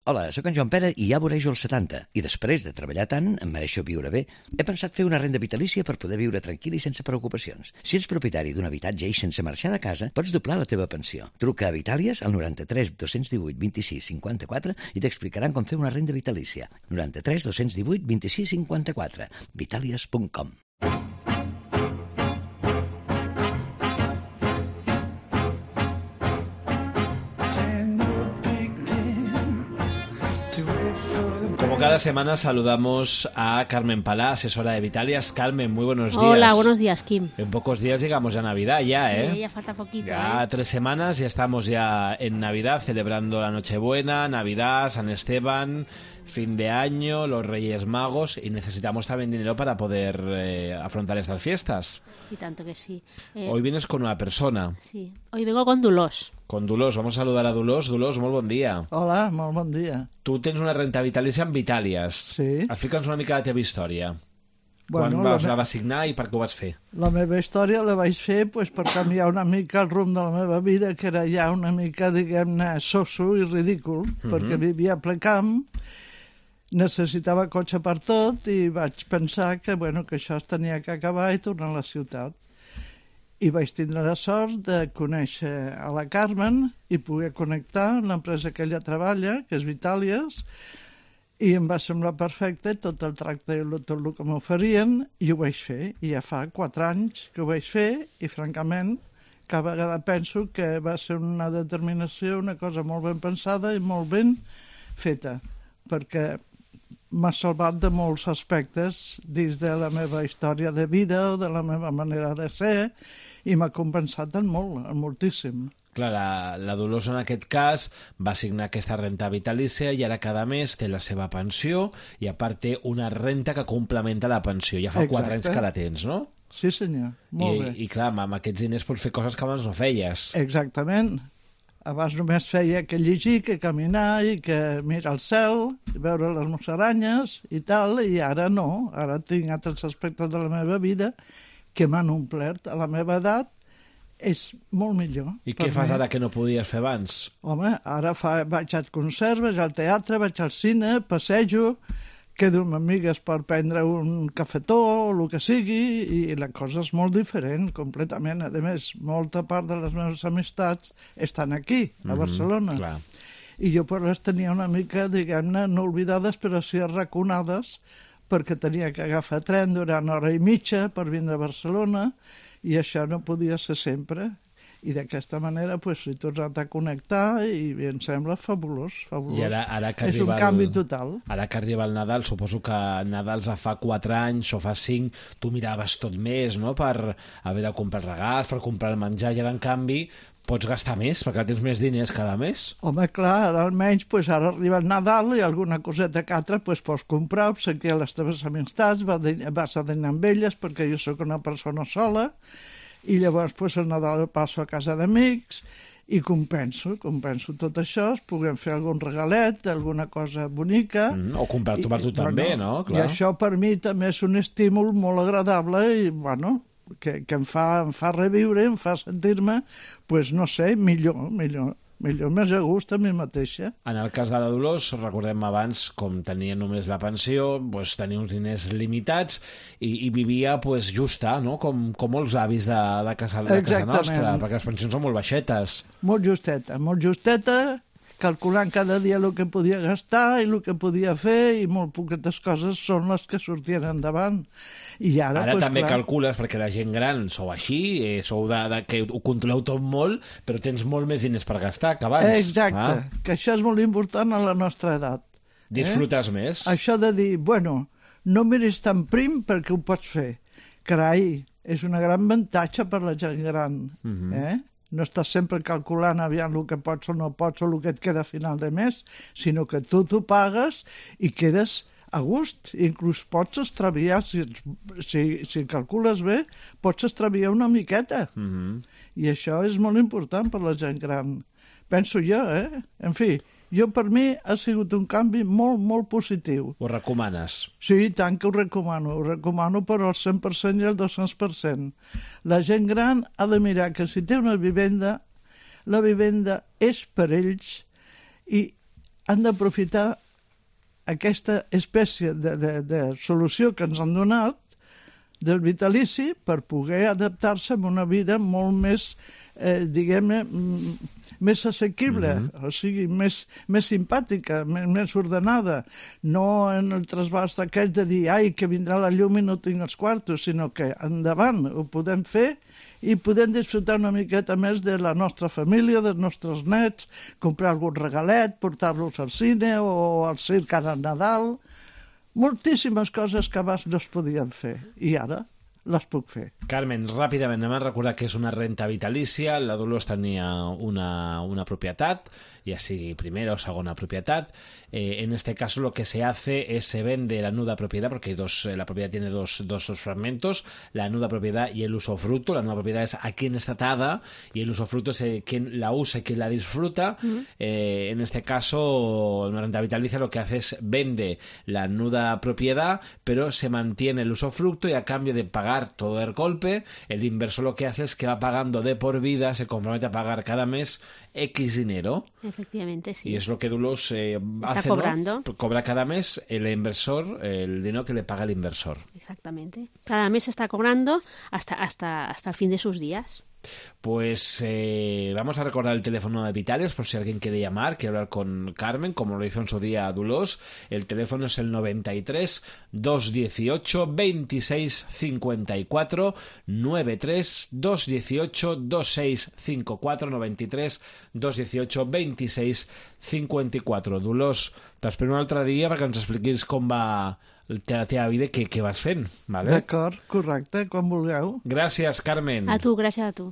Hola, sóc en Joan Pere i ja vorejo els 70 i després de treballar tant, em mereixo viure bé. He pensat fer una renda vitalícia per poder viure tranquil i sense preocupacions. Si ets propietari d'un habitatge i sense marxar de casa, pots doblar la teva pensió. Truca a Vitàlies al 93 218 26 54 i t'explicaran com fer una renda vitalícia. 93 218 26 54. Vitàlies.com. Cada semana saludamos a Carmen Palá, asesora de Vitalias. Carmen, muy buenos días. Hola, buenos días, Kim. En pocos días llegamos a Navidad ya, ¿eh? Sí, ya falta poquito, Ya 3 semanas, ya estamos ya en Navidad, celebrando la Nochebuena, Navidad, San Esteban, fin de año, los Reyes Magos, y necesitamos también dinero para poder afrontar estas fiestas. Y tanto que sí. Hoy vienes con una persona. Sí, hoy vengo con Dolors. Con Dolors, vamos a saludar a Dolors. Dolors, molt bon dia. Hola, molt bon dia. Tu tens una renta vitalícia amb Vitàlies. Sí. Explica'ns una mica la teva història. Bueno, Quan la vas signar i per què ho vas fer? La meva història la vaig fer pues, per canviar una mica el rumb de la meva vida, que era ja una mica, diguem-ne, soso i ridícul, perquè vivia a ple camp, necessitava cotxe per tot i vaig pensar que, bueno, que això es tenia que acabar i tornar a la ciutat. I vaig tindre la sort de conèixer a la Carmen i poder connectar amb l'empresa que ella treballa, que és Vitàlies, i em va semblar perfecte tot el tracte i tot el que m'oferien, i ho vaig fer. I ja fa 4 anys que ho vaig fer i, francament, cada vegada penso que va ser una determinació, una cosa molt ben pensada i molt ben feta, perquè m'ha salvat de molts aspectes dins de la meva història de vida o de la meva manera de ser, i m'ha compensat en molt, en moltíssim. Clar, la Dolors en aquest cas va signar aquesta renta vitalícia i ara cada mes té la seva pensió i a part té una renta que complementa la pensió. Ja fa 4 anys que la tens, no? Sí, senyor, molt bé. I clar, amb aquests diners pots fer coses que abans no feies. Exactament. Abans només feia que llegir, que caminar i que mirar el cel, veure les musaranyes i tal, i ara no. Ara tinc altres aspectes de la meva vida que m'han omplert. A la meva edat és molt millor. I què fas ara que no podies fer abans? Home, ara vaig al concert, vaig al teatre, vaig al cine, passejo, quedo amb amigues per prendre un cafetó o el que sigui, i la cosa és molt diferent, completament. A més, molta part de les meves amistats estan aquí, a Barcelona. Clar. I jo per les tenia una mica, diguem-ne, no oblidades, però sí arraconades, perquè tenia que agafar tren durant 1 hora i mitja per vindre a Barcelona, i això no podia ser sempre. I d'aquesta manera pues, he tornat a connectar i em sembla fabulós, fabulós. I ara que és un canvi total. Ara que arriba el Nadal, suposo que Nadal fa 4 anys o fa 5, tu miraves tot més, no?, per haver de comprar regals, per comprar el menjar, i ara, en canvi, pots gastar més, perquè tens més diners cada mes. Home, clar, ara almenys pues, ara arriba el Nadal i alguna coseta que altra pues, pots comprar, obsequiar les teves amistats, vas a dinar amb elles, perquè jo sóc una persona sola, i llavors pues, el Nadal el passo a casa d'amics i compenso tot això, es puguem fer algun regalet, alguna cosa bonica. O comprar-t'ho per tu també, no? Clar. I això per mi també és un estímul molt agradable i, bueno, que em fa reviure, em fa sentir-me, pues, no sé, millor, més a gust a mi mateixa. En el cas de la Dolors, recordem abans, com tenia només la pensió, doncs, tenia uns diners limitats i vivia pues, justa, no? Com molts avis de casa nostra, perquè les pensions són molt baixetes. Molt justeta, calculant cada dia el que podia gastar i el que podia fer, i molt poquetes coses són les que sortien endavant. I ara pues, també clar, calcules, perquè la gent gran sou així, sou de que ho controleu tot molt, però tens molt més diners per gastar que abans. Exacte, que això és molt important a la nostra edat. Disfrutes més. Això de dir, bueno, no miris tan prim perquè ho pots fer. Carai, és una gran avantatge per la gent gran, No estàs sempre calculant aviam el que pots o no pots o el que et queda a final de mes, sinó que tu t'ho pagues i quedes a gust. Inclús pots extraviar, si calcules bé, pots extraviar una miqueta. I això és molt important per la gent gran. Penso jo, En fi, jo per mi ha sigut un canvi molt, molt positiu. Ho recomanes? Sí, tant que ho recomano per al 100% i al 200%. La gent gran ha de mirar que si té una vivenda, la vivenda és per ells i han d'aprofitar aquesta espècie de solució que ens han donat del vitalici per poder adaptar-se a una vida molt més, diguem-ne, més assequible, o sigui, més simpàtica, més ordenada. No en el trasbast aquell de dir ai, que vindrà la llum i no tinc els quartos, sinó que endavant ho podem fer i podem disfrutar una miqueta més de la nostra família, dels nostres nets, comprar algun regalet, portar-los al cine o al circ ara al Nadal. Moltíssimes coses que abans no es podien fer i ara les puc fer. Carmen, ràpidament anem a recordar que és una renta vitalícia. La Dolors tenia una propietat, ya sigui primera o segunda propiedad. En este caso lo que se hace es se vende la nuda propiedad, porque la propiedad tiene dos fragmentos, la nuda propiedad y el usufructo. La nuda propiedad es a quién está atada y el usufructo es quién la usa y quién la disfruta. En este caso, una renta vitalicia lo que hace es vende la nuda propiedad, pero se mantiene el usufructo y a cambio de pagar todo el golpe, el inversor lo que hace es que va pagando de por vida, se compromete a pagar cada mes X dinero. Efectivamente, sí. Y es lo que Dulos hace, cobrando. ¿no? Cobra cada mes el inversor, el dinero que le paga el inversor. Exactamente. Cada mes está cobrando hasta el fin de sus días. Pues vamos a recordar el teléfono de Vitalios por si alguien quiere llamar, quiere hablar con Carmen, como lo hizo en su día Dulos. El teléfono es el 93 218 26 54 93 218 26 54 93 218 26 54. Dulos, t'espero un altre dia perquè ens expliquis com va la teva vida, què vas fent, vale? D'acord, correcte, quan vulgueu. Gràcies, Carmen. A tu, gràcies a tu.